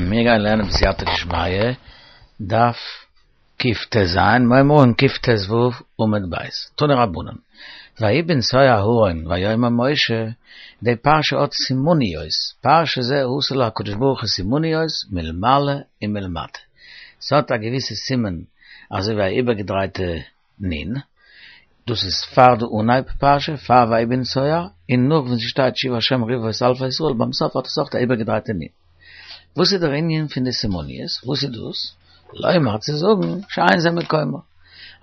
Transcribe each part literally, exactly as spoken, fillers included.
מיר גייען לערנען בסייעתא דשמיא, דף קט"ז, מיר הייבן אן קט"ו עמוד ב', תנו רבנן, ויהי בנסוע הארון ויאמר משה, די פרשה האט סימניות, פרשה זה עשה לה הקדוש ברוך הוא סימניות מלמעלה ומלמטה, ס'האט א געוויסע סימן אזוי ווי א איבערגעדרייטע נ', דאס איז פאר די אנהייב פרשה, פאר ויהי בנסוע, און נאך ווען ס'שטייט שובה השם רבבות אלפי ישראל, ביים סוף האט עס אויך א איבערגעדרייטע נ'. וואס איז דער ענין פון די סימניות? וואס איז דאס? לומר צו זאגן שאין זה מקומה,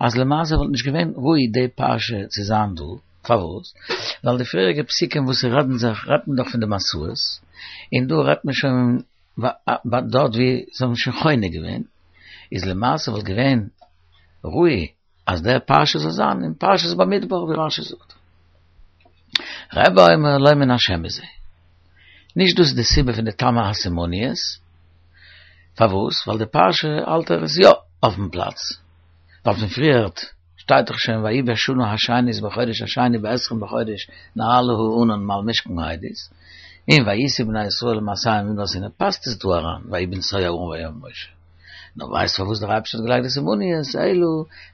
אז למעשה וואלט נישט געווען ראוי די פרשה צו זיין דא, פארוואס? ווייל די פריעריגע פסוקים וואס רעדן זיך, רעדט מען דאך פון די מסעות, און דא רעדט מען שוין דארט ווי זיי האבן שוין חונה געווען, איז למעשה וואלט געווען ראוי אז דער פרשה זאל זיין אין פרשת במדבר ווי רשי זאגט. רבי אומר לא מן השם הוא זה. נישט דאס איז די סיבה פון די טעמא הסימניות, פארוואס? ווייל די פרשה האלט ער איז יא אויפן פלאץ, ווייל פון פריערט שטייט דאך שוין ויהי בשנה השנית בחודש השני בעשרים בחודש נעלה הענן מעל משכן העדות, און ויסעו בני ישראל מסעיהם במדבר סיני פאסט עס דא אריין ויהי בנסוע הארון ויאמר משה. נאר ווייסט פארוואס דער אייבערשטער האט געלייגט די סימניות אלא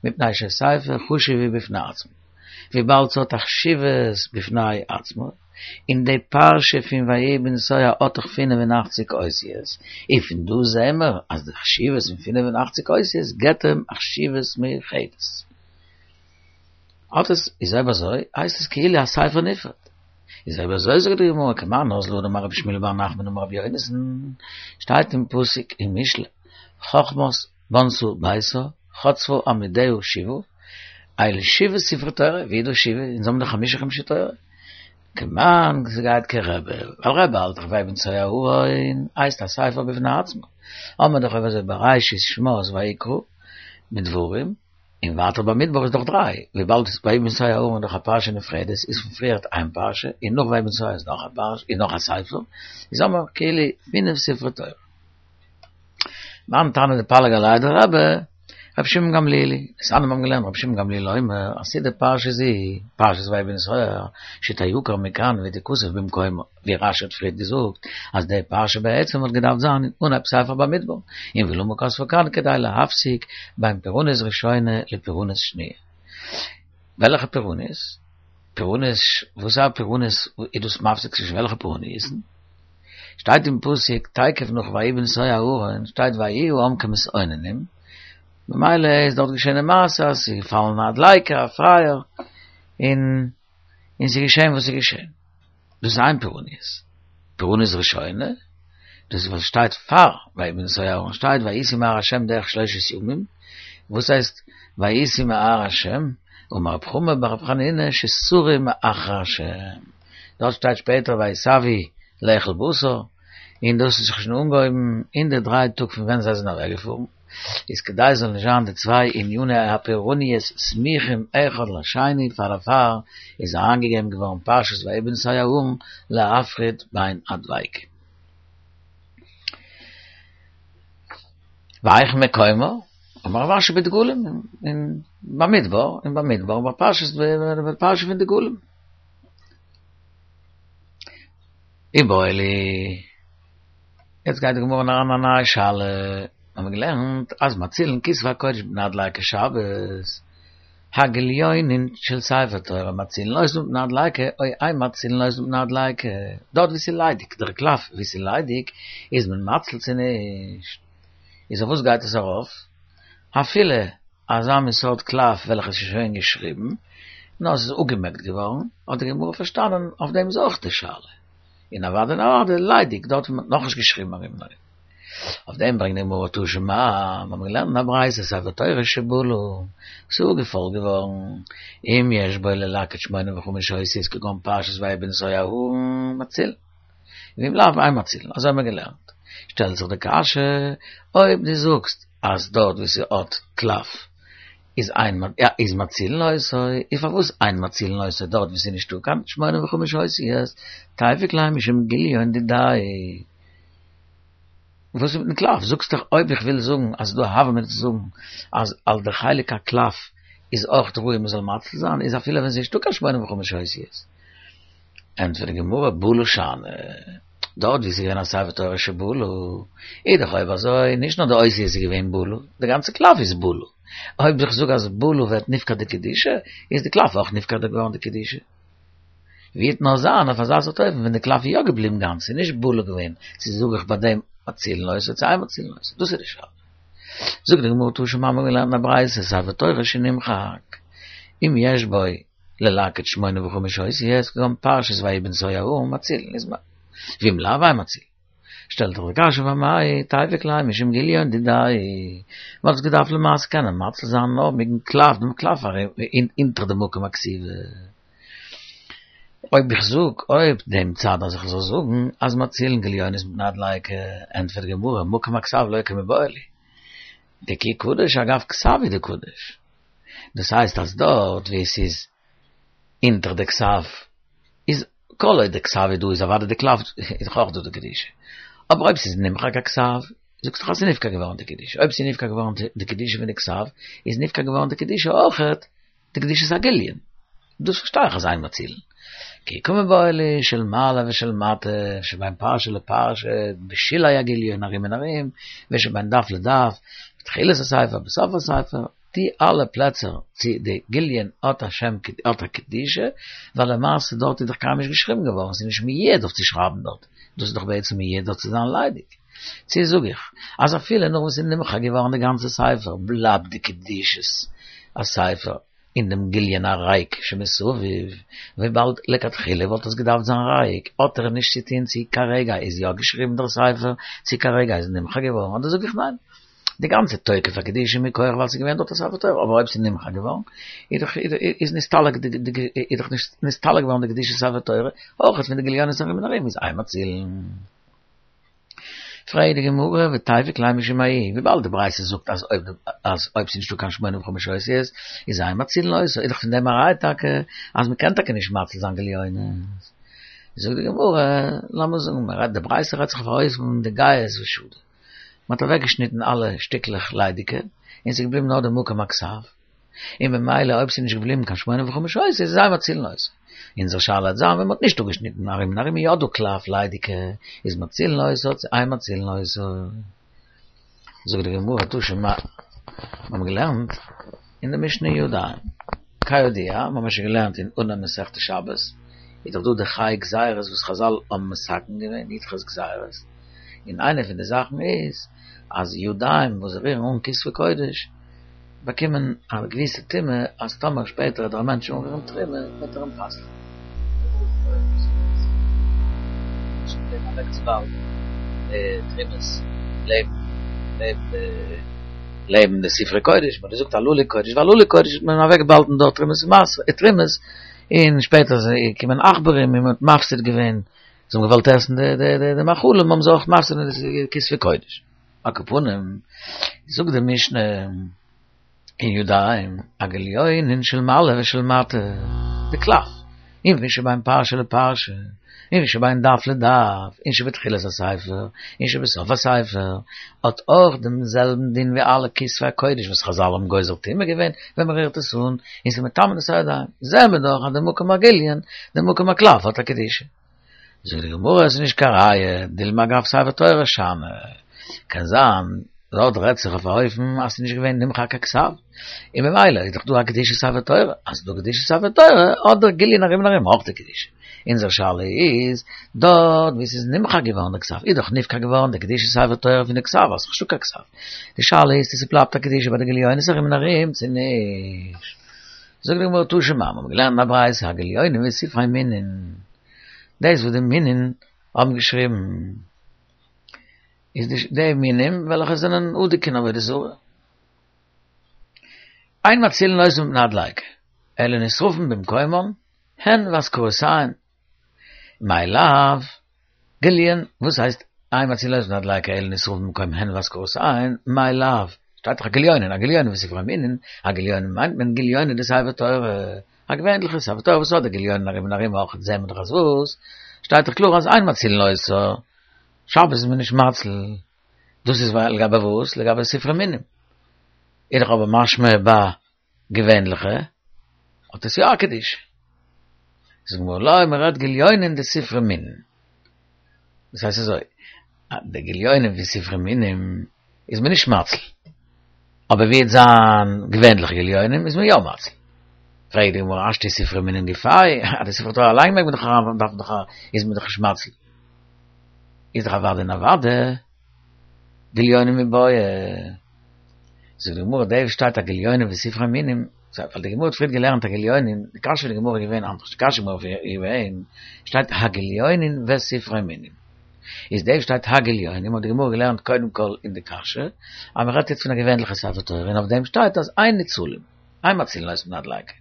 מפני שספר חשוב הוא בפני עצמו, וויבאלד ס'האט א חשיבות בפני עצמו, און די פרשה פון ויהי בנסוע האט דאך פינף און אכציג אותיות, און פון דא זעהן מיר אז די חשיבות פון פינף און אכציג אותיות געבט אים א חשיבות מיוחדת. האט עס, איז אויב אזוי הייסט עס כאילו א ספר נפרד. איז אויב אזוי זאגט די גמרא כמאן אזלא הא דאמר רבי שמואל בר נחמן אמר רבי יונתן, שטייט אין פסוק אין משלי, חכמת בנתה ביתה, חצבה עמודיה שבעה, אלו שבעה ספרי תורה, ווי איז דא שבעה? אונז האבן דאך חמשה חומשי תורה. כמאן ס'גייט כרבי, ווייל רבי האלט דאך ויהי בנסוע הארון הייסט א ספר בפני עצמו, האמער דאך אויב אזוי בראשית שמות ויקרא מיט דברים, און ווייטער במדבר איז דאך דריי, וויבאלד ויהי בנסוע הארון איז דאך א פרשה נפרדת, איז פון פריערט איין פרשה, און נאך ויהי בנסוע איז נאך א פרשה, איז נאך א ספר, איז האמער כאילו פינף ספרי תורה. מאן תנא דפליג עליה דרבי, רבי שמעון גמליאל היא, דתניא מיר האבן געלערנט רבי שמעון גמליאל אומר, עתידה פרשה זו, פרשת ויהי בנסוע, שתעקר מכאן ותכתב במקומה, ווי רשי האט פריערט געזאגט, אז די פרשה בעצם וואלט געדארפט זיין אין אנהייב ספר במדבר, און ולמה כתבה כאן כדי להפסיק בין פורענות ראשונה לפורענות שניה. וועלכע פורענות? פורענות, וואס א פורענות איז דאס מפסיק צווישן וועלכע פורעניות'ן? שטייט אין פסוק תיכף נאך ויהי בנסוע הארון שטייט ויהי העם כמתאוננים, ממילא איז דארט געשען די מעשה אז ס'איז געפאלן א דליקה א פייער און און ס'איז געשען וואס איז געשען. דאס איז איין פורעניות. פורענות ראשונה, דאס איז וואס שטייט פאר ויהי בנסוע הארון שטייט ויסעו מהר השם דרך שלושת ימים, וואס הייסט ויסעו מהר השם? אמר רב חמא בר רב חנינא שסרו מאחר השם, דארט שטייט שפעטער ויתאוו לאכול בשר, און דאס האט זיך שוין אנגעהויבן אין די דריי טאג פון ווען זיי זענען אוועקגעפארן, איז כדי זאל נישט זיין די צוויי עניני הפורעניות סמוכים אחד לשני פאר דערפאר איז אריינגעגעבן געווארן פרשת ויהי בנסוע הארון להפריד בין הדבקים. והיכן מקומה? אמר רב אשי בדגלים אין במדבר, אין במדבר בפרשת בפרשה פון דגלים. איבעיא להו. יעצט גייט די גמרא אריין א נייע שאלה, האבן מיר געלערנט אז מצילין כתבי הקודש מפני הדליקה שבת, הגליונין של ספר תורה מצילין אותן מפני הדליקה או אין מצילין אותן מפני הדליקה, דארט ווי ס'איז ליידיג, דער קלף ווי ס'איז ליידיג איז מען מציל צו נישט? איז אויף וואס גייט עס ארויף? אפילו אזא מין סארט קלף וועלכע איז שוין געשריבן, נאר עס איז אפגעמעקט געווארן, האט די גמרא פארשטאנען אויף דעם איז אויך די שאלה. און אוודאי און אוודאי ליידיג דארט ווי מ'האט נאכנישט געשריבן ארום און ארום. אויף דעם ברענגט די גמרא תא שמע, מיר האבן געלערנט אין א ברייתא ספר תורה שבלה, ס'איז אפגעפוילט געווארן, אם יש בו ללקט שמונים וחמש אותיות כגון פרשת ויהי בנסוע הארון מצילין, ואם לאו אין מצילין, אזוי האבן מיר געלערנט. שטעלט זיך די קשיא, אויב דו זאגסט אז דארט ווי ס'האט קלף איז אין איז מצילין אותו, איז פארוואס אין מצילין אותו דארט ווי ס'איז נישטא קיין שמונים וחמש אותיות, תיפוק ליה משום גליון דידיה. וואס איז מיטן קלף? זאגסט דאך אויב איך וויל זאגן אז ס'איז דא א הוה אמינא צו זאגן אז על די חלק הקלף איז אויך ראוי מ'זאל מציל זיין, איז אפילו ווען ס'איז נישטא קיין שמונים וחמש אותיות. ענטפערט די גמרא בלה שאני. דארט ווי ס'איז געווען א ספר תורה שבולו, איז דאך אויב אזוי, נישט נאר די אותיות איז געווען בולו, די גאנצע קלף איז בולו. אויב איך זאג אז בולו ווערט נפקע די קדושה, איז די קלף אויך נפקע געווארן די קדושה. ווי וועט נאר זיין אויף אזא סארט אופן ווען די קלף איז יא געבליבן גאנץ, ס'איז נישט בולו געווען, צו זאג איך ביי דעם מצילין אותו צו אין מצילין אותו, דאס איז די שאלה. זאגט די גמרא תא שמע מ'האט געלערנט א ברייתא ספר תורה שנמחק אם יש בו ללקט שמונה וחמש אותיות כגון פרשת ויהי בנסוע ההוא מצילין איז ואם לאו אין מצילין. שטעלט זיך די קשיא ואמאי תיפוק ליה משום גליון דידיה מ'האט עס געדארפט למעשה קענען מציל זיין נאר מיטן קלף דעם קלף אונטער די מקום הכתיבה. אויב איך זאג אויב דעם צד אז איך זאל זאגן אז מצילין גליונות מפני הדליקה, ענטפערט די גמרא, מקום הכתב לא קמיבעיא לי, דכי קדוש אגב כתב הוא דקדוש, דאס הייסט אז דארט ווי עס איז אונטער די כתב איז כל עוד די כתב איז דא איז אוודאי די קלף איז דאך אויך דא די קדושה, אבער אויב ס'איז נמחק הכתב זאגסט דאך אז ס'איז נפקע געווארן די קדושה, אויב ס'איז נפקע געווארן די קדושה פון די כתב איז נפקע געווארן די קדושה אויכעט די קדושת הגיליון. דאס פארשטיי איך אז אין מצילין. כי קמיבעיא לי של מעלה ושל מטה, שבין פרשה לפרשה, בשולי הגיליון ארום און ארום, ושבין דף לדף, בתחילת הספר, בסוף הספר, די אלע פלעצער צו די גיליון האט א שם האט א קדושה, ווייל למעשה דארט איז דאך קיינמאל נישט געשריבן געווארן, ס'איז נישט מיועד אויף צו שרייבן דארט, דאס איז דאך בעצם מיועד דארט צו זיין ליידיג. צו זאג איך, אז אפילו נאך וואס ס'איז נמחק געווארן די גאנצע ספר, בלייבט די קדושת הספר אין דעם גיליון הריק שמסביב, וויבאלד לכתחילה וואלט עס געדארפט זיין ריק, האט ער נישט צו טון צו כרגע איז יא געשריבן דער ספר, צו כרגע איז נמחק געווארן, אדער זאג איך ניין, די גאנצע תוקף הקדושה מכח ווייל ס'איז געווען דארט א ספר תורה, אבער אויב ס'איז נמחק געווארן, איז דאך איז נסתלק די איז דאך נסתלק געווארן די קדושת ספר תורה, אויך פון די גליונות ארום און ארום איז אין מצילין. פרעגט די גמרא ותיפוק ליה משום ההיא, וויבאלד די ברייתא זאגט אז אויב אז אויב ס'איז נישטא קיין שמונה וחמש אותיות איז אין מצילין אותו, איז דאך פון דעם א ראיה טאקע אז מ'קען טאקע נישט מציל זיין גליונות. זאגט די גמרא, לאמיר זאגן מ'רעדט די ברייתא רעדט זיך אויף אן אופן דגייז ושדי, מ'האט אוועקגעשניטן אלע שטיקלעך ליידיגע און ס'איז געבליבן נאר די מקום הכתב, און ממילא אויב ס'איז נישט געבליבן קיין שמונה וחמש אותיות איז אין מצילין אותו. אונזער שאלה וועט זיין ווען מ'האט נישט אפגעשניטן ארום און ארום איז יא דא קלף ליידיגע, איז מצילין אותו צו אין מצילין אותו. זאגט די גמרא תא שמע, מיר האבן געלערנט אין די משנה ידיים, כידוע, מיר האבן שוין געלערנט אין אנהייב מסכת שבת, איז דאך דא די חי גזירות וואס חזל האבן מתקן געווען, י"ח גזירות, און איינע פון די זאכן איז אז ידיים וואס רירן אן כתבי קודש באקומען א געוויסע טומאה אז טאמער שפעטער וועט דער מענטש אנרירן תרומה וועט ער אים פסל'ן. לעבן די ספרי קודש, מ'האט געזאגט הללו קודש והללו קודש האט מען אוועקגעבאהאלטן דארט תרומות תרומות, און שפעטער איז געקומען עכברים און מ'האט מפסיד געווען, זיי האבן געוואלט עסן די מאכלים האבן זיי אויך מפסיד געווען די כתבי קודש. על כל פנים, זאגט די משנה אין ידיים, הגליונין של מעלה ושל מטה, די קלף, און שבין פרשה לפרשה, און שבין דף לדף, און שבתחילת הספר, און שבסוף הספר, האט אויך דעם זעלבן דין ווי אלע כתבי הקודש וואס חזל האבן גוזר טומאה געווען ווען מען רירט עס אן, און ס'איז מטמא את הידיים. זעען מיר דאך אז די מקום הגיליון, די מקום הקלף האט א קדושה. זאגט די גמרא עס איז נישט קיין ראיה, דילמא אגב ספר תורה שאני, קען זיין דארט רעדט זיך אויף א אופן אז ס'איז נישט געווען נמחק הכתב, און ממילא איז דאך דא א קדושת ספר תורה, אז ס'איז דא קדושת ספר תורה האט דער גיליון ארום און ארום אויך די קדושה. אונזער שאלה איז, דארט וואו ס'איז נמחק געווארן די כתב, איז דאך נפקע געווארן די קדושת ספר תורה פון די כתב, אז ס'איז נישטא קיין כתב. די שאלה איז צו ס'בלייבט א קדושה ביי די גליונות ארום און ארום צו נישט. זאגט די גמרא תא שמע, מ'האט געלערנט אין א ברייתא הגליונים וספרי מינין, דאס וואס די מינים האבן געשריבן איז די די מינים וועלכע זענען אדוק אין עבודה זרה. אין מצילין אותן מפני הדליקה, אלא נשרפין במקומן, הן ואזכרותיהן. מאי לאו, גליון, וואס הייסט אין מצילין אותן מפני הדליקה אלא נשרפין במקומן הן ואזכרותיהן, מאי לאו, שטייט דאך הגליונין, הגליונין וספרי מינין, הגליונין מיינט מען גליונא דספר תורה, א געווענליכע ספר תורה וואס האט די גליון ארום און ארום אויך זעהן מיר דאך אז וואס? שטייט דאך קלאר אז אין מצילין אותו, שבת איז מען נישט מציל, דאס איז לגבי וואס? לגבי ספרי מינים. איז דאך אבער משמע ביי געווענליכע האט עס יא א קדושה. זאגט די גמרא לא, מען רעדט גליונין דספרי מינין. דאס הייסט אזוי, די גליונים ווי ספרי מינים איז מען נישט מציל. אבער ווי עס זיין געווענליכע גליונים איז מען יא מציל. פרעגט די גמרא השתא ספרי מינים גופייהו, די ספר תורה אליין מעג מען דאך אריין דארף מען דאך איז מען דאך נישט מציל. איז דאך אוודאי און אוודאי גליונים מיבעיא. זאגט די גמרא דא שטייט הגליונים וספרי מינים, ווייל די גמרא האט פריער געלערנט הגליונים, די קשיא פון די גמרא איז געווען אנדערש, די קשיא פון גמרא איז געווען, שטייט הגליונים וספרי מינים. איז דא שטייט הגליונים האט די גמרא געלערנט קודם כל אין די קשיא, אז מען רעדט יעצט פון א געווענליכע ספר תורה און אויף דעם שטייט אז אין ניצולים, אין מצילין אותן מפני הדליקה.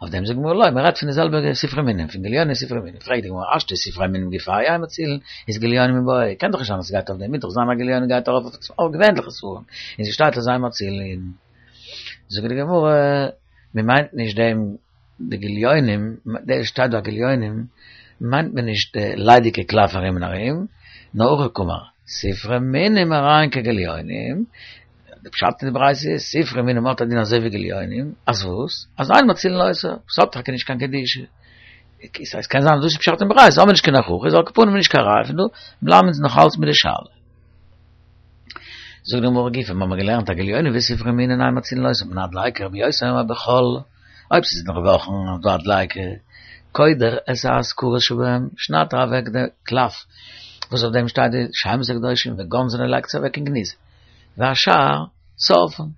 אויף דעם זאגט די גמרא לא, מען רעדט פון די זעלבע ספרי מינים, פון גליונים און ספרי מינים. פרעגט די גמרא השתא ספרי מינים גופייהו אין מצילין, איז גליונים מיבעיא, קען דאך נישט זיין אז ס'גייט אויף דעם, מוז דאך זיין אז גליונים גייט ארויף אויף געווענליכע ספרים, און ס'שטייט אז אין מצילין. זאגט די גמרא, מען מיינט נישט דעם די גליונים, דא שטייט דא גליונים, מיינט מען נישט די ליידיגע קלף ארום און ארום, נאר הכי קאמר, ספרי מינים הרי הן כגליונים, די פשט אין די ברייתא איז, ספרי מינים האט א דין אזוי ווי גליונים, אז וואס? אז אין מצילין אותן, ס'האט טאקע נישט קיין קדושה. עס קען זיין אז דאס איז פשט אין ברייתא, האבן מיר נישט קיין הוכחה, איז על כל פנים נישט קיין ראיה פון דא, בלייבן אונז נאך אלץ מיט די שאלה. זאגט די גמרא גופא, מיר האבן געלערנט הגליונים וספרי מינים אין מצילין אותן מפני הדליקה רבי יוסי אומר בחול, אויב ס'איז אינדערוואכן איז דא א דליקה, קודר את האזכרות שבהם, שניידט ער אוועק די קלף וואס אויף דעם שטייט די שמות הקדושים וגונזן און לייגט עס אוועק אין גניזה, והשאר שורפן.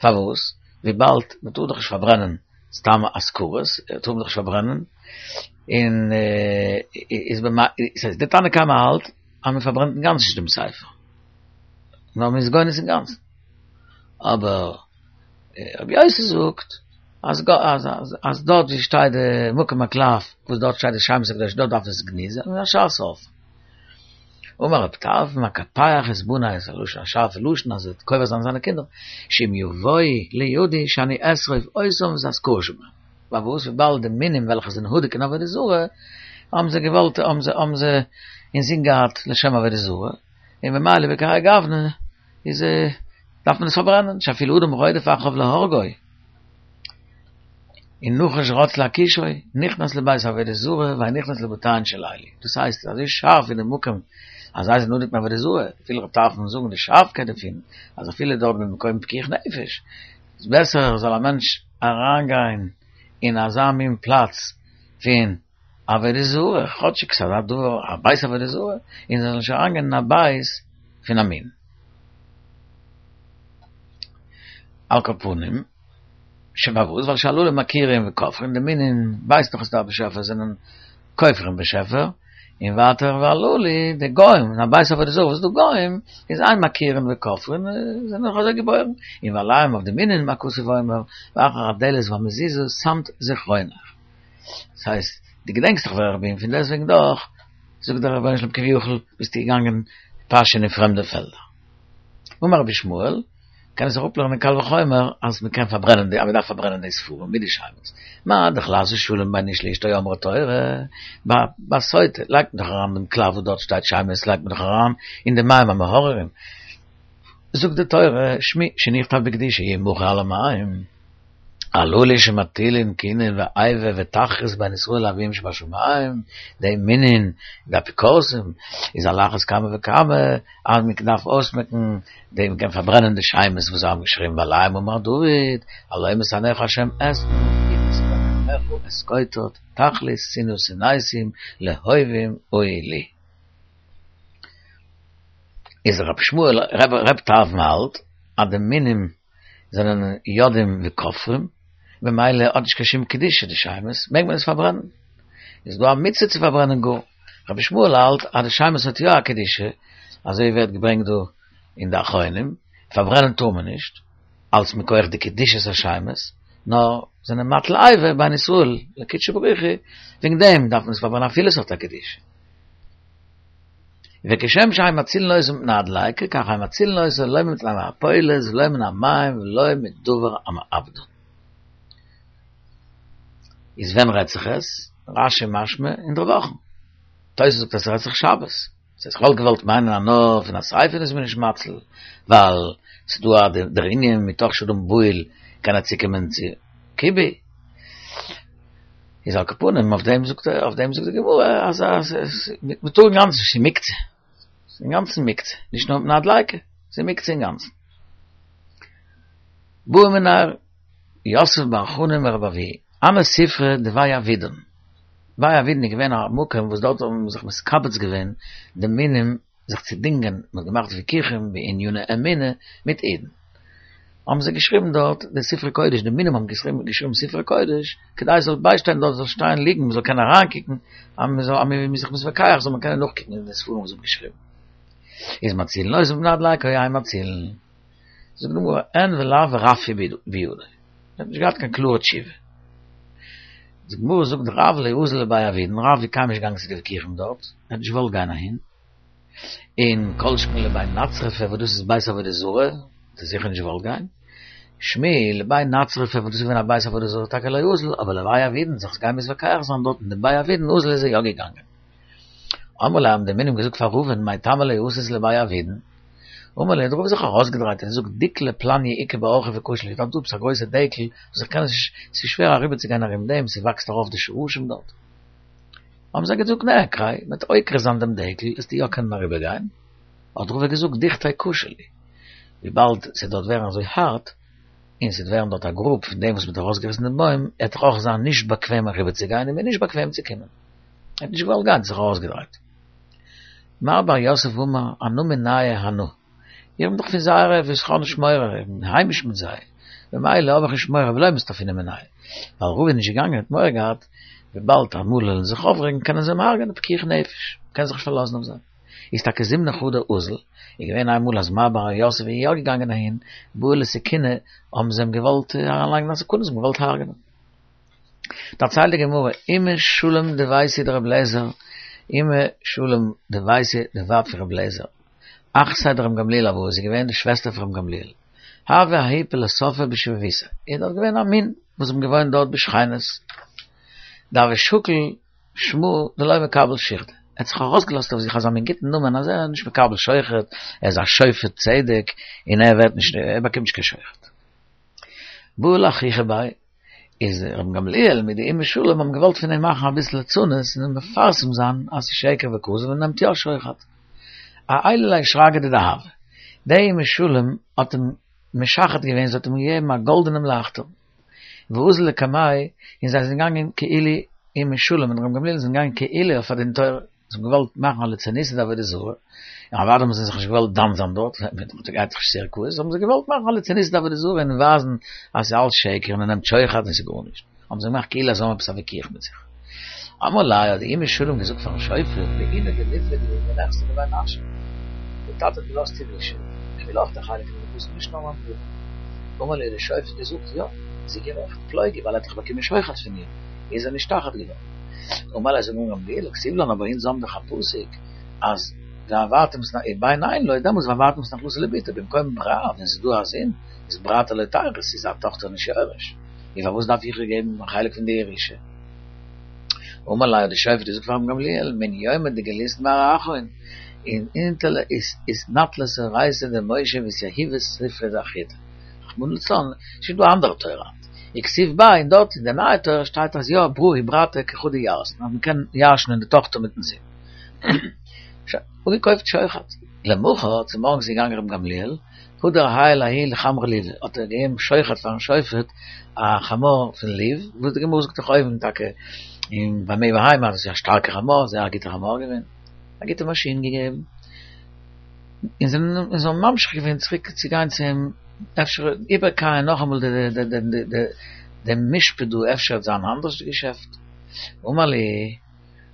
פארוואס? וויבאלד מען טאר דאך נישט פארברענען סתם אזכרות, טאר מען דאך נישט פארברענען, און איז די תנא קמא האלט אז מען פארברענט אינגאנצן נישט דעם ספר, נאר מען איז גונז אינגאנצן, אבער רבי יוסי זאגט אז אז דארט ווי שטייט די מקום הקלף וואס דארט שטייט די שמות הקדושים דארט דארף עס גניזה און השאר שורפן. אמר רב טרפון מקפח את בני איז א לשון א שארפע לשון אז ער וועט קובר זיין זיינע קינדער שאם יבואו לידי שאני אשרוף אותם ואת האזכרות שבהם פארוואס וויבאלד די מינים וועלכע זענען הדוק אין עבודה זרה האבן זיי געוואלט האבן זיי האבן זיי אינזין געהאט לשם עבודה זרה און ממילא בכהאי גוונא איז דארף מען עס פארברענען שאפילו אדם רודף אחריו להורגו און נחש רץ להכישו נכנס לבית עבודה זרה ואין נכנס לבתיהן של אלו דאס הייסט אזוי שארף אין די מקום אז זיי זענען הדוק מעבודה זרה וויל רב טרפון זאגן די שארפקייט דערפון אז אפילו דארט במקום פיקוח נפש איז בעסער זאל א מענטש אריינגיין אין אזא מין פלאץ פון עבודה זרה כאטשיג ס'איז א דבר א בית עבודה זרה און זאל נישט אריינגיין אין א בית פון א מין. על כל פנים, פארוואס? ווייל שהללו מכירים וכופרים, די מינים ווייסט דאך אז דער באשעפער זענען כופרים באשעפער, און ווייטער והללו די גוים, אין א בית עבודה זרה וואס איז דא גוים, איז אין מכירים וכופרים, זענען דאך אזוי געבוירן, און ועליהם אויף די מינים מה כתוב אומר, ואחר הדלת והמזוזה שמת זכרונך. דאס הייסט, דו געדענקסט דאך ווער איך בין, פון דעסטוועגן דאך, זאגט דער רבונו של עולם כביכול, ביסטו געגאנגען פאשען אין פרעמדע פעלדער. אמר רבי ישמעאל, קען עס אראפלערנען קל וחומר אז מען קען פארברענען די, אז מען דארף פארברענען די ספרים מיט די שמות. מה דאך לעשות שלום בין איש לאשתו אמרה תורה, ביי סוטה לייגט מען דאך אריין דעם קלף וואס דארט שטייט שמות לייגט מען דאך אריין אין די מים המאררים. זאגט די תורה, שמי שנכתב בקדושה ימחה על המים. הללו שמטילין קנאה ואיבה ותחרות בין ישראל לאביהם שבשמים, די מינין, די אפיקורסים, איז על אחת כמה וכמה, אז מען דארף אויסמעקן, די מען קען פארברענען די שמות וואס זיי האבן געשריבן ועליהם אמר דוד, הלא משנאיך השם אשנא, ומקנאיך אתקוטט, תכלית שנאה שנאתים, לאהובים היו לי. איז רבי ישמעאל, רב טרפון האלט אז די מינים זענען יודעים וכופרים, ממילא האט נישט קיין שום קדושה די שמות, מעג מען עס פארברענען. איז דא א מצוה צו פארברענען גאר. רבי ישמעאל האלט אז די שמות האט יא א קדושה, אזוי ווערט געברענגט דא אין די אחרונים, פארברענען טאר מען נישט, אלץ מכח די קדושת השמות, נאר זענען מטיל איבה בין ישראל לקודשא בריך הוא, וועגן דעם דארף מען עס פארברענען אפילו עס האט א קדושה. וכשם שאין מצילין אותן מפני הדליקה, כך אין מצילין אותן לא מפני המעפולת ולא מן המים ולא מדבר המאבדן. איז ווען רעדט זיך עס? רש"י משמע אינדערוואכן. תוס' זאגט אז ס'רעדט זיך שבת. דאס הייסט כ'וואלט געוואלט מיינען אז נאר פון א שריפה איז מען נישט מציל, ווייל ס'דא א דער ענין מתוך שאדם בהול קען ער צוקומען צו כיבוי. איז על כל פנים, אויף דעם זאגט אויף דעם זאגט די גמרא, אז אז מ'טאר אינגאנצן נישט, ס'איז מוקצה. ס'איז אינגאנצן מוקצה, נישט נאר מפני הדליקה, ס'איז מוקצה אינגאנצן. בעא מיניה יוסף בר חנין מרבי אבהו, הני ספרי דבי אבידן. בי אבידן איז געווען א מקום וואס דארט האבן זיך מתקבץ געווען די מינים זיך צו דינגען, מ'האט געמאכט וויכוחים בעניני אמונה מיט אידן. האבן זיי געשריבן דארט די ספרי קודש, די מינים האבן געשריבן געשריבן ספרי קודש, כדי עס זאל ביישטיין דארט, זאל שטיין ליגן, מ'זאל קענען אריינקוקן, אז מ'זאל אז מ'איז זיך מתווכח זאל מען קענען נאכקוקן אין די ספרים וואס זיי האבן געשריבן. איז מצילין אותן מפני הדליקה או אין מצילין. זאגט די גמרא, אין ולאו ורפיא בידו. ער האט נישט געהאט קיין קלארע תשובה. די גמרא זאגט רב לא אזיל לבי אבידן, רב איז קיינמאל נישט געגאנגען צו די וויכוחים דארט, ער האט נישט געוואלט גיין אהין. און כל שכן לבי נצרפי וואס דאס איז בית עבודה זרה, האט ער זיכער נישט געוואלט גיין. שמואל לבי נצרפי וואס דאס איז געווען א בית עבודה זרה טאקע לא אזיל, אבער לבי אבידן זיך גיין מתווכח זיין דארט אין די בי אבידן אזיל איז ער יא געגאנגען. אמרו ליה האבן די מינים געזאגט פאר רבא'ן מאי טעמא לא אתית לבי אבידן? אמר להו האט רבא זיך ארויסגעדרייט און געזאגט דיקלא פלניא איכא באורחא וקשה לי, דארט דא עפעס א גרויסע דקל וואס איך קען עס נישט, ס'איז שווער אריבערצוגיין ארום דעם, ס'וואקסט ארויף די שרשים דארט. האבן זיי געזאגט נעקריה, מ'וועט עוקר זיין דעם דקל, וועסטו יא קענען אריבערגיין. האט רבא געזאגט דוכתיה קשה לי, וויבאלד ס'וועט דארט ווערן אזוי הארט, און ס'וועט ווערן דארט א גרוב פון דעם וואס מ'האט ארויסגעריסן דעם בוים, עט דאך אויך זיין נישט באקוועם אריבערצוגיין און מיר נישט באקוועם צו קומען. ער האט נישט געוואלט גיין, האט זיך ארויסגעדרייט. מר בר יוסף אמר, אנא מינייהו אנא. איך בין דאך פון זייערע וואס איך האב נישט מורא, איך בין היימיש מיט זיי, ממילא האב איך נישט מורא ולא מסתפינא מינייהו. ווייל רבא איז נישט געגאנגען האט מורא געהאט, וויבאלד אמאל וועלן זיי זיך אויפרעגן קענען זיי אים הרג'ענען פיקוח נפש, מ'קען זיך נישט פארלאזן אויף זיי. איז טאקע זימנא חדא אזל, איז געווען איינמאל אז מר בר יוסף איז יא געגאנגען אהין, בעו לסכוני, האבן זיי אים געוואלט אריינלייגן א סכנה, זיי האבן געוואלט הרג'ענען. דערציילט די גמרא, אימא שלום דביתהו דרבי אליעזר, אימא שלום דביתהו די ווייב פון רבי אליעזר, אחתיה דרבן גמליאל הואי, זי איז געווען די שוועסטער פון רבן גמליאל, הוה ההוא פילוסופא בשיבבותיה, איז דארט געווען א מין וואס האבן געוואוינט דארט בשכינות, דהוה שקיל שמא דלא מקבל שוחדא, ער האט זיך ארויסגעלאזט אויף זיך אזא מין גוטן נאמען אז ער איז נישט מקבל שוחד, ער איז א שופט צדק און ער ווערט נישט, ער באקומט נישט קיין שוחד. בעו לאחוכי ביה, איז רבן גמליאל מיט די אימא שלום האבן געוואלט פון אים מאכן אביסל ליצנות און מפרסם זיין אז ס'איז שקר וכזב און נעמט יא שוחד. אעילו ליה שרגא דדהבא. די אימא שלום האט אים משחד געווען, זי האט אים געגעבן א גאלדענעם לייכטער. ואזול לקמיה, און זיי זענען געגאנגען כאילו אימא שלום און רבן גמליאל זענען געגאנגען כאילו אויף א דין תורה. זיי האבן געוואלט מאכן א ליצנותא דעבודה זרה, און אוודאי האבן זיי זיך נישט געוואלט דן זיין דארט, מען גייט דאך נישט צו ערכאות, האבן זיי געוואלט מאכן א ליצנותא דעבודה זרה און ווייזן אז ס'איז אלץ שקר און ער נעמט שוחד און ס'איז גארנישט, האבן זיי געמאכט כאילו אז זיי האבן עפעס א וויכוח מיט זיך. אמר ליה האט די אימא שלום געזאגט פארן שופט, בעינא דליפלוג לי מנכסי דבי נשא, דער טאטע האט געלאזט ירושה, איך וויל אויך די חלק פון די נכסים נישט נאר מיין ברודער. אמר ליה האט דער שופט געזאגט, יא, זי איז גערעכט, פלוג הוא, ווייל ער האט דאך באקומען שוחד פון איר, איז ער נשתחד געווארן. אמר ליה זאגט רבן גמליאל כתיב לן אבער אונז האבן דאך א פסוק אז והעברתם את ובן אין לו דעמאלטס והעברתם את נחלתו לבתו במקום ברא ווען ס'איז דא א זון איז ברתא לא תירות איז א טאכטער נישט יורש און פארוואס דארף איך איר געבן א חלק פון די ירושה? אמר ליה האט די שופט געזאגט פאר רבן גמליאל מן יומא דגלית מר אחרון און אתנטלת אורייתא דמשה ואתיהיבת ספרא דאחריתא רחמנא לצלן ס'איז שוין דא א אנדערע תורה היינט. וכתיב ביה און דארט אין די נייע תורה שטייט אז יא ברא וברתא כחדא ירתון אז מ'קען ירש'נען די טאכטער מיטן זון. שוין, אפגעקויפט שוחד. למחר, צומארגנס איז געגאנגען רבן גמליאל, הדר עייל ההוא לחמרא לובא, האט ער געגעבן שוחד פארן שופט א חמור פון לוב, וואס די גמרא זאגט דאך אויבן טאקע אין במה בהמה אז עס איז א שטארקע חמור, זייער א גוטע חמור געווען, א גוטע מאשין געגעבן. און זיי האבן ממשיך געווען צוריק צו גיין צו אים, אפשר איבערקייען נאכאמאל דעם משפט דא, אפשר וועט זיין אנדערש די געשעפט. אמר להו,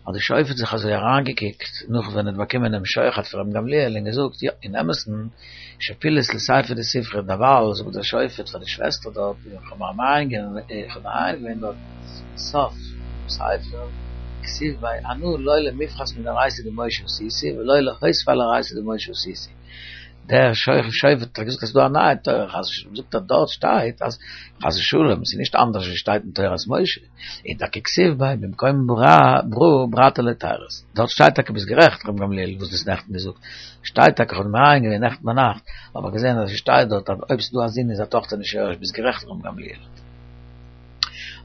האט די שופט זיך אזוי אריינגעקוקט נאך ווען ער האט באקומען דעם שוחד פון רבן גמליאל און געזאגט, יא, אין אמת'ן, שפילת לסיפא דספרא, דערווייל זאגט דער שופט פאר די שוועסטער דארט, איך האב מעיין געווען דארט סוף ספר, כתיב ביה אנא לא למפחת מן אורייתא דמשה עשיתי ולא להוסיף על אורייתא דמשה עשיתי. דער שופט האט געזאגט אז ס'איז דא א נייע תורה חס ושלום, זאגט ער דארט שטייט אז חס ושלום ס'איז נישט אנדערש ווי שטייט אין תורת משה, און טאקע כתיב ביה במקום ברא ברתא לא תירות, דארט שטייט טאקע ביסט גערעכט ר' גמליאל וואס דו האסט נעכטן געזאגט, שטייט טאקע כ'האב מעיין געווען נעכטן ביינאכט האב איך געזען אז עס שטייט דארט אז אויב ס'איז דא א זון איז א טאכטער נישט יורש, ביסט גערעכט ר' גמליאל.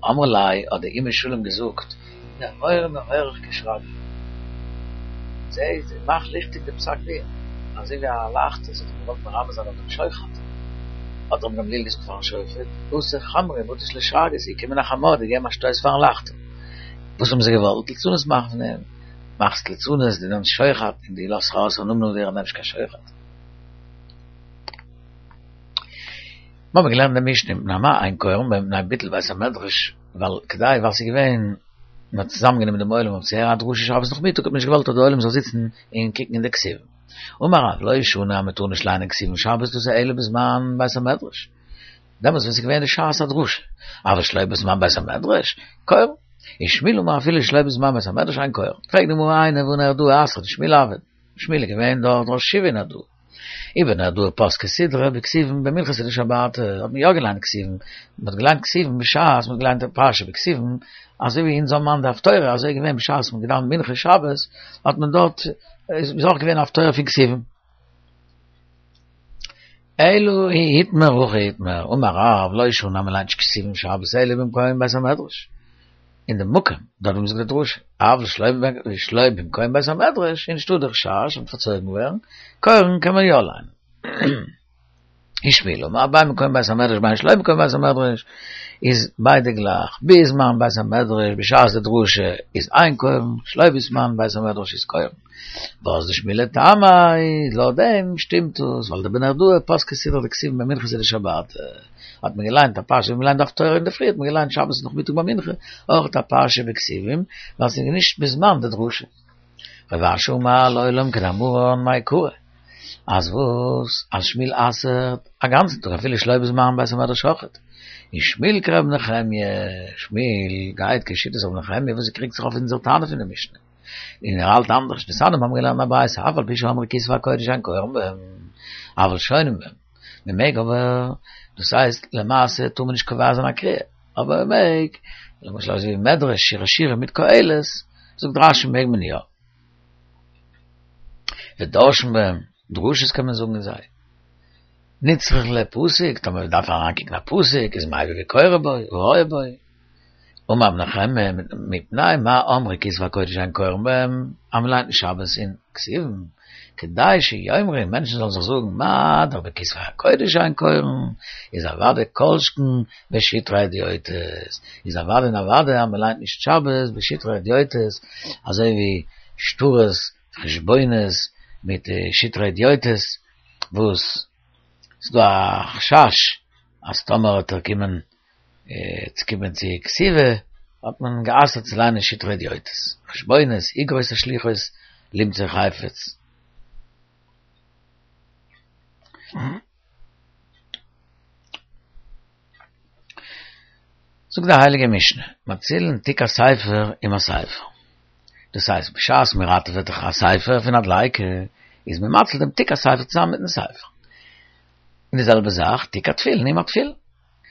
אמרה ליה, האט די אימא של אים געזאגט, נהורא נהורך כשרגא. זע, מאך ליכטיג די פסק דין, אזוי ווי א לייכטער, זי האט אים געוואלט מרמז זיין אויף דעם שוחד. האט רבן גמליאל געזאגט פארן שופט, אתא חמרא ובטיש ליה שרגא, ס'איז געקומען א חמור, געגעבן א שטויס פארן לייכטער. וואס האבן זיי געוואלט? ליצנות מאכן פון אים. מאכסט ליצנות, דו נעמסט שוחד, און דו לאזט ארויס א נאמען אויף דיר אז נעמסט קיין שוחד. מיר האבן געלערנט די משנה מפני מה אין קורין בהן מפני ביטול בית המדרש, ווייל כדי ווייל ס'איז געווען מ'האט צוזאמגענומען דעם עולם אויף צו הערן א דרשה שבת נאכמיטאג האט מען נישט געוואלט אז דער עולם זאל זיצן און קוקן אין די כתובים. אמר רב לא שנו אז מ'טאר נישט ליינען כתובים שבת דאס איז אלא בזמן בית המדרש, דעמאלטס ווען ס'איז געווען די שעת הדרשה, אבל שלא בזמן בית המדרש, קורין. ושמואל אמר אפילו שלא בזמן בית המדרש אין קורין. פרעגט די גמרא איני והא נהרדעא אתרא דשמואל הוה, שמואל איז געווען דארט ראש ישיבה אין נהרדעא. אי בנהרדעא פסקי סידרא בכתובים במנחתא דשבתא האט מען יא געליינט כתובים, מען האט געליינט כתובים בשעת מען האט געליינט די פרשה בכתובים, אזוי ווי אונז האבן היינט די הפטורה, אזוי איז געווען בשעת מען האט געדאווענט מנחה שבת האט מען דארט איז אויך געווען הפטורה פון כתובים. אלא אי איתמר הכי איתמר, אמר רב לא שנו אז מען ליינט נישט כתובים שבת אלא במקום בית המדרש. אין די מקום, דארט וואו מ'זאגט די דרשה, אבל שלא במקום בית המדרש, איז נישטא די חשש פון פארצויגן ווערן, קורין קען מען יא ליינען. ושמואל אמר בין במקום בית המדרש בין שלא במקום בית המדרש, איז ביידע גלייך, בזמן בית המדרש בשעת די דרשה איז אין קורין, שלא בזמן בית המדרש איז קורין. ואזדא שמואל לטעמיה, לויט דעם שטימט עס, ווייל דבנהרדעא פסקי סידרא דכתובים במנחתא דשבתא. האט מען געליינט א פרשה ווי מען ליינט די הפטורה אינדערפרי האט מען געליינט שבת נאכמיטאג ביי מנחה אויך א פרשה בכתובים ווייל ס'איז נישט בזמן די דרשה. רב אשי אמר לעולם כדאמרן מעיקרא אז וואס אז שמואל אסר'ט א גאנצן טאג אפילו שלא בזמן בית המדרש אויכעט און שמואל כר' נחמיה שמואל גייט כשיטת ר' נחמיה וואס קריגט זיך אויף אונזער תנא פון די משנה און ער האלט אנדערש דתניא מיר האבן געלערנט א ברייתא אף על פי שאמרו כתבי הקודש אין קורין בהם אבל שונין בהם מען מעג אבער, דאס הייסט למעשה טאר מען נישט קובע זיין א קריאה, אבער מען מעג, למשל אזוי ווי מדרש שיר השירים מיט קהלת, זאגט רשי מעג מען יא. ודורשין בהם, דרשות קען מען זאגן אין זיי. נצרך ליה פסוק, טאמער מען דארף אריינקוקן א פסוק, איז מביא וקורא בו, ורואה בו. אמר רב נחמיה, מפני מה אמרו כתבי הקודש אין קורין בהם, אז מען ליינט נישט שבת אין כתובים, כדי שיאמרו, מענטשן זאלן זיך זאגן, מה דאך בכתבי הקודש אין קורין, איז אוודאי כל שכן בשטרי הדיוטות, איז אוודאי און אוודאי אז מען ליינט נישט שבת בשטרי הדיוטות, אזוי ווי שטרות, חשבונות, מיט שטרי הדיוטות, וואס ס'דא א חשש אז טאמער וועט ער קומען צו קומען צו כתיבה, האט מען גע'אסר'ט צו ליינען שטרי הדיוטות, חשבונות, אגרות השלוחות, למצוא חפץ. זאגט די הייליגע משנה, מצילין תיק הספר עם הספר. דאס הייסט, בשעת מען ראטעוועט דאך א ספר פון א דליקה, איז מען מציל דעם תיק הספר צוזאמען מיטן ספר. און די זעלבע זאך, תיק התפילין עם התפילין.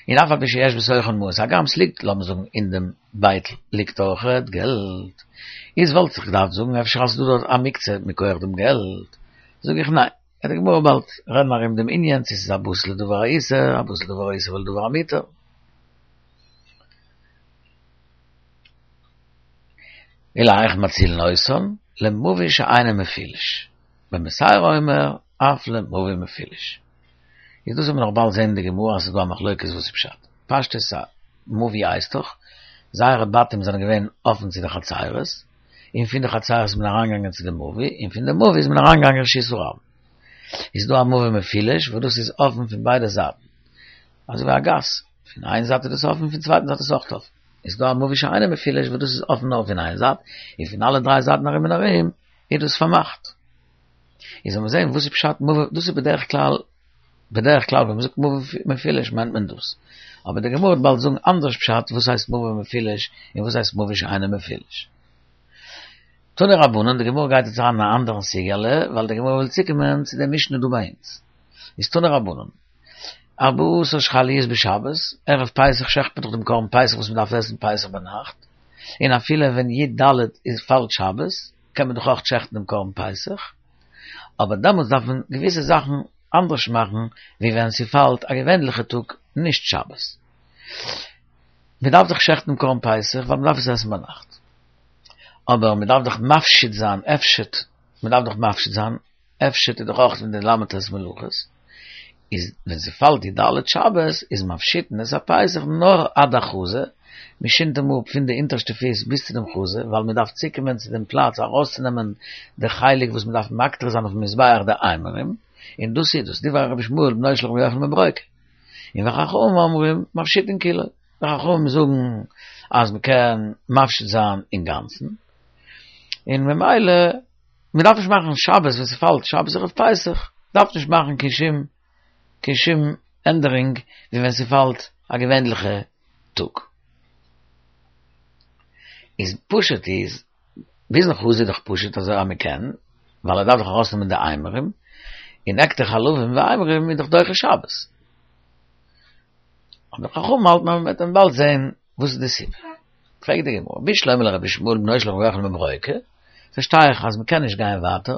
און אף על פי שיש בתוכן מעות, הגם ס'ליגט, לאמיר זאגן, אין דעם בייטל ליגט אויכעט געלט, איז וואלט זיך געדארפט זאגן אפשר אז ס'דא דארט א מוקצה מכח דעם געלט, זאג איך ניין, וועט די גמרא באלד רעדן ארום דעם ענין צו ס'איז א בסיס לדבר האיסור, א בסיס לדבר האיסור ולדבר המותר. ולהיאך מצילין אותן, למבוי שאינו מפולש, רבי בתירא אומר אף למבוי מפולש. איז דאס וועט מען נאך באלד זעהן אין די גמרא אז ס'איז דא א מחלוקת וואס איז פשט. פשטות א מבוי הייסט דאך, זייערע בתים זענען געווען אפן צו די חצרות, און פון די חצרות איז מען אריינגעגאנגען צו די מבוי, און פון די מבוי איז מען אריינגעגאנגען רשות הרבים. איז דא א מבוי מפולש וואס דאס איז אפן פון ביידע זייטן, אזוי ווי א גאס, פון איין זייט איז דאס אפן פון צווייטן זייט איז אויך אפן. איז דא א מבוי שאינו מפולש וואס דאס איז אפן נאר פון איין זייט, און פון אלע דריי זייטן ארום און ארום איז דאס פארמאכט. איז זאל מען זען וואס איז פשט מבוי, דאס איז בדרך כלל, בדרך כלל ווען מ'זאגט מבוי מפולש מיינט מען דאס, אבער די גמרא וועט באלד זאגן אנדערש פשט וואס הייסט מבוי מפולש און וואס הייסט מבוי שאינו מפולש. תנו רבנן, די גמרא גייט יעצט אריין אין א אנדערן סוגיא'לע, ווייל די גמרא וויל צוקומען צו די משנה דא ביי אונז. איז תנו רבנן, ארבעה עשר שחל להיות בשבת, ערב פסח שעכט מען דאך דעם קרבן פסח וואס מ'דארף עסן פסח ביינאכט, און אפילו ווען י ד איז פאלט שבת, קען מען דאך אויך שעכטן דעם קרבן פסח, אבער דעמאלטס דארף מען געוויסע זאכן אנדערש מאכן ווי ווען ס'פאלט א געווענליכע טאג נישט שבת. מען דארף דאך שעכטן קרבן פסח, ווייל מען דארף עס עסן ביינאכט. אבער מען דארף דאך מפשיט זיין, הפשט, מען דארף דאך מפשיט זיין, הפשט איז דאך אויך פון די ל"ט מלאכות, איז ווען ס'פאלט י"ד שבת, איז מפשיטין את הפסח נאר עד החזה, מען שינדט אים אפ פון די אונטערשטע פיס ביז צו דעם חזה, ווייל מען דארף צוקומען צו דעם פלאץ ארויסצונעמען די חלק וואס מען דארף מקטיר זיין אויפן מזבח די אימורים, און דאס איז דאס דברי רבי ישמעאל בנו של רבי יוחנן בן ברוקה. און וחכמים אומרים מפשיטין כולו, די חכמים זאגן אז מען קען מפשיט זיין אינגאנצן, און ממילא מען דארף נישט מאכן שבת ווען ס'פאלט שבת ערב פסח, דארף נישט מאכן קיין שום קיין שום ענדערונג ווי ווען ס'פאלט א געווענליכע טאג. איז פשוט איז, ביזן חזה איז דאך פשוט אזוי אז מען קען, ווייל ער דארף דאך ארויסנעמען די אימורים, און הקטר חלבים ואימורים איז דאך דוחה שבת. אבער חכמים האלטן אז מ'וועט באלד זען וואס איז די סיבה. פרעגט די גמרא, בשלמא לרבי ישמעאל בנו של רבי יוחנן בן ברוקה, פארשטיי איך אז מ'קען נישט גיין ווייטער,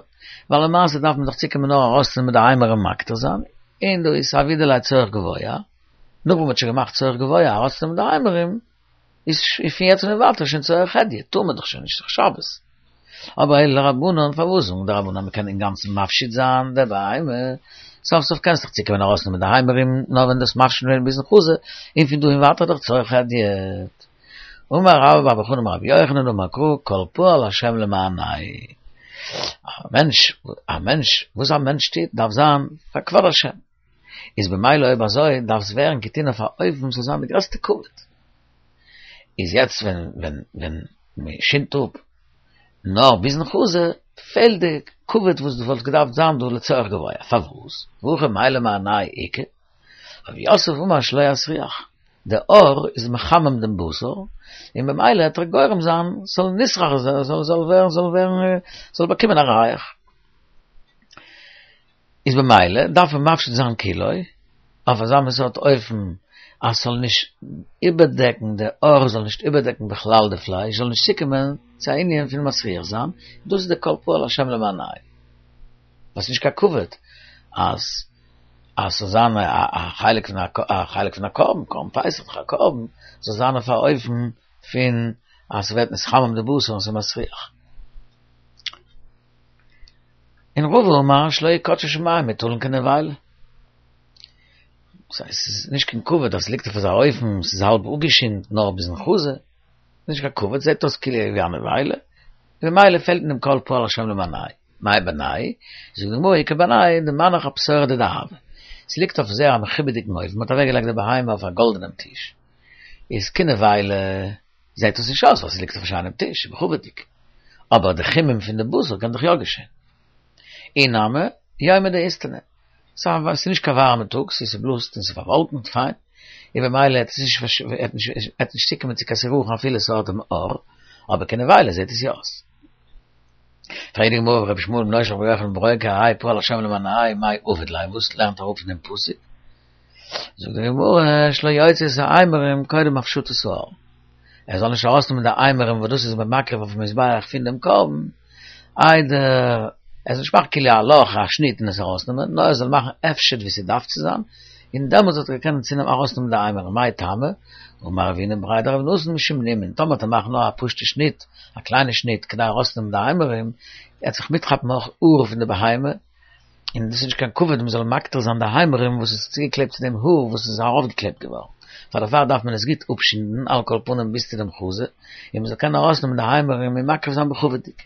ווייל למעשה דארף מען דאך צוקומען נאר ארויסצונעמען די אימורים מקטיר זיין, און דא איז סייווי דלא צורך גבוה, נאך וואס מ'האט שוין געמאכט צורך גבוה ארויסצונעמען די אימורים, איז פון יעצט און ווייטער שוין צורך הדיוט, טאר מען דאך שוין נישט, ס'איז דאך שבת. אבער אלא לרבנן, פארוואס זאגן די רבנן אז מ'קען אינגאנצן מפשיט זיין די בהמה? סוף סוף קענסט דאך צוקומען ארויסנעמען די אימורים נאר ווען דו האסט מפשיט געווען ביזן חזה, און פון דא און ווייטער דאך צורך הדיוט. אמר רבה בר בר חנה אמר רבי יוחנן אמר קרא כל פעל השם למענהו. א מענטש, א מענטש, וואס א מענטש טוט דארף זיין פאר כבוד השם. איז במילא אויב אזוי דארף עס ווערן געטון אויף א אופן ס'זאל זיין די גרעסטע כבוד. איז יעצט ווען ווען ווען מען שינדט אפ נאר ביזן חזה, פעלט די כבוד וואס וואלט געדארפט זיין דא לצורך גבוה, פארוואס? והכא מאי למענהו איכא? רב יוסף אמר שלא יסריח, די עור איז מחמם דעם בשר, און במילא העט ער גורם זיין ס'זאל נסרח זאל זאל ווערן זאל ווערן זאל באקומען א ריח. איז במילא דארף מען מפשיט זיין כולו, אויף אזא מין סארט אופן אז ס'זאל נישט איבערדעקן, די עור זאל נישט איבערדעקן בכלל די פלייש, זאל נישט צוקומען צו א ענין פון מסריח זיין, דאס איז די כל פעל השם למענהו. ווייל ס'איז נישט קיין כבוד אז אז ס'זאל זיין א חלק פון א חלק פון א קרבן, קרבן פסח איז דאך א קרבן, זאל זיין אויף א אופן פון אז ס'ווערט נתחמם די בשר און ס'איז מסריח. און רבא אמר שלא יקדשו שמים מוטלין כנבילה. ס'הייסט ס'איז נישט קיין כבוד אז ס'ליגט אויף אזא אופן, ס'איז האלב אפגעשינדן נאר ביזן חזה, נישט קיין כבוד, זעט אויס כאילו ווי א נבילה, ממילא פעלט אין דעם כל פעל השם למענהו. מאי בינייהו? זאגט די גמרא איכא בינייהו דמנח אפתורא דדהבא. ס'ליגט אויף זייער א מכובד'יגן אופן, מ'האט אוועקגעלייגט די בהמה אויף א גאלדענעם טיש, איז כנבילה זעט עס נישט אויס ווייל ס'ליגט אויף א שיינעם טיש, מכובד'יג. אבער די חימום פון די בשר קען דאך יא געשען. אי נמי, יומא דאיסתנא. ס'איז נישט קיין ווארעמע טאג, ס'איז ס'בלאזט און ס'איז פארוואלקנט, פיין. און במילא העט עס נישט העט נישט צוקומען צו קיין סירחון אפילו ס'האט דעם עור, אבער כנבילה זעט עס יא אויס. פרעגט די גמרא ורבי ישמעאל בנו של רבי יוחנן בן ברוקה האי פעל השם למענהו מאי עביד ליה וואס לערנט ער אפ פון דעם פסוק? זאגט די גמרא שלא יוציא את האימורים קודם הפשטת העור, ער זאל נישט ארויסנעמען די אימורים וואס דאס איז מען מקריב אויפן מזבח פון דעם קרבן, איידער ער זאל נישט מאכן כאילו א לאך א שניט און עס ארויסנעמען, נאר ער זאל מאכן הפשט ווי ס'דארף צו זיין, און דעמאלטס וועט ער קענען צונעמען ארויסנעמען די אימורים, מאי טעמא? אמר רב הונא בריה דרב נתן משום נימין, טאמער וועט ער מאכן נאר א פשוטע שניט, א קליינע שניט, כדי ארויסצונעמען די אימורים, וועט זיך מיטכאפן אויך האר פון די בהמה, און דאס איז נישט קיין כבוד מען זאל מקטיר זיין די אימורים וואס איז צוגעקלעבט צו דעם האר וואס איז ארויפגעקלעבט געווארן, פאר דערפאר דארף מען עס גוט אפשינדן על כל פנים ביז צו דעם חזה, און מען זאל קענען ארויסנעמען די אימורים און מקריב זיין בכבוד'יג.